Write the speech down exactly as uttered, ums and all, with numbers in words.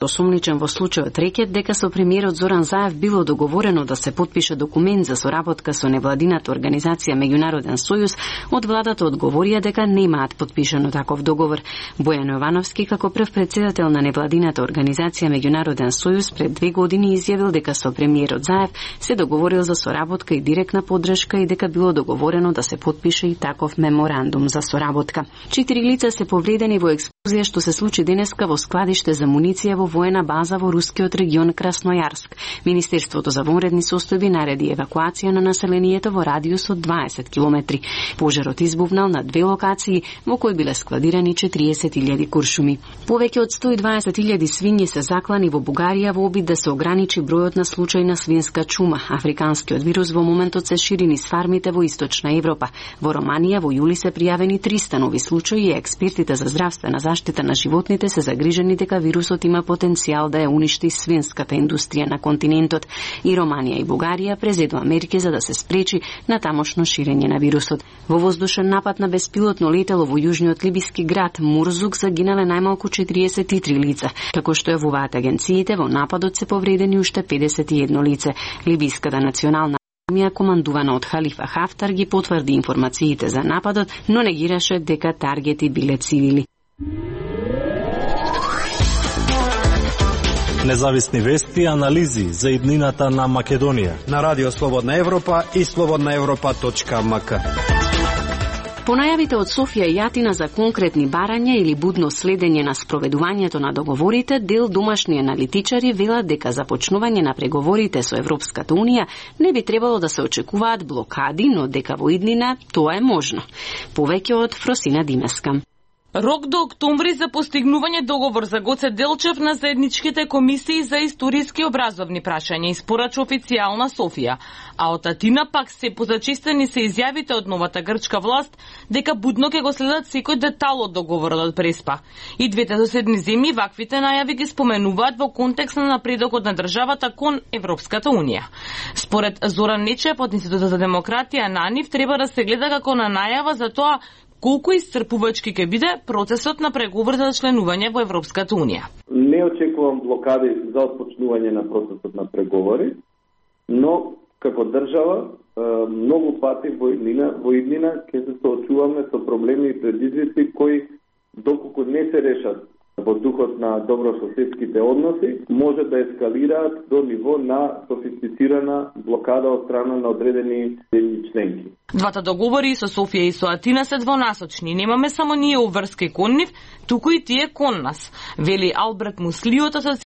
Осомничен во случајот рекет дека со премиерот Зоран Заев било договорено да се потпише документ за соработка со невладината организација Меѓународен сојуз, од владата одговорија дека немаат потпишано таков договор. Бојан Јовановски, како прв претседател на невладината организација Меѓународен сојуз, пред две години изјавил дека со премиерот Заев се договорил за соработка и директна поддршка и дека било договорено да се потпише и таков меморандум за соработка. Четири лица се повредени во експлозија што се случи денеска во складиште за муниција во воена база во рускиот регион Краснојарск. Министерството за вонредни состојби нареди евакуација на населението во радиус од дваесет километри. Пожарот избувнал на две локации во кои биле складирани четириесет илјади куршуми. Повеќе од сто и дваесет илјади свињи се заклани во Бугарија во обид да се ограничи бројот на случаи на свинска чума. Африканскиот вирус во моментот се шири низ фармите во Источна Европа. Во Романија во јули се пријавени триста нови случаи и експертите за здравствена заштита на животните се загрижени дека вирусот има потенцијал да ја уништи свинската индустрија на континентот. И Романија и Бугарија презедува мерки за да се спречи на тамошно ширење на вирусот. Во воздушен напад на беспилотно летело во јужниот либиски град Мурзук загинале најмалку четириесет и три лица, како што јавуваат агенциите. Во нападот се повредени уште педесет и едно лице. Либиската национална армија, командувана од Халифа Хафтар, ги потврди информациите за нападот, но негираше дека таргети биле цивили. Независни вести и анализи за иднината на Македонија на Радио Слободна Европа и слободна европа точка ем ка. По најавите од Софија и Атина за конкретни барања или будно следење на спроведувањето на договорите, дел домашни аналитичари велат дека започнување на преговорите со Европската Унија не би требало да се очекуваат блокади, но дека во иднина тоа е можно. Повеќе од Фросина Димеска. Рок до октомври за постигнување договор за Гоце Делчев на заедничките комисии за историски образовни прашања испорача официјална Софија, а од Атина пак се позачистени се изјавите од новата грчка власт дека будно ќе го следат секој детал од договорот од Преспа. И двете соседни земји ваквите најави ги споменуваат во контекст на напредокот на државата кон Европската Унија. Според Зоран Нечев од Институтот за демократија на НИВ треба да се гледа како на најава за тоа колку исцрпувачки ќе биде процесот на преговор за членување во Европската Унија. Не очекувам блокади за отпочнување на процесот на преговори, но како држава многу пати во иднина, во иднина ќе се соочуваме со проблеми и предизвици кои доколку не се решат во духот на добрососедските односи, може да ескалираат до ниво на софистицирана блокада од страна на одредени земји членки. Двата договори со Софија и со Атина се двонасочни. Немаме само ние уврски кон нив, туку и тие кон нас, вели Алберт Муслиот,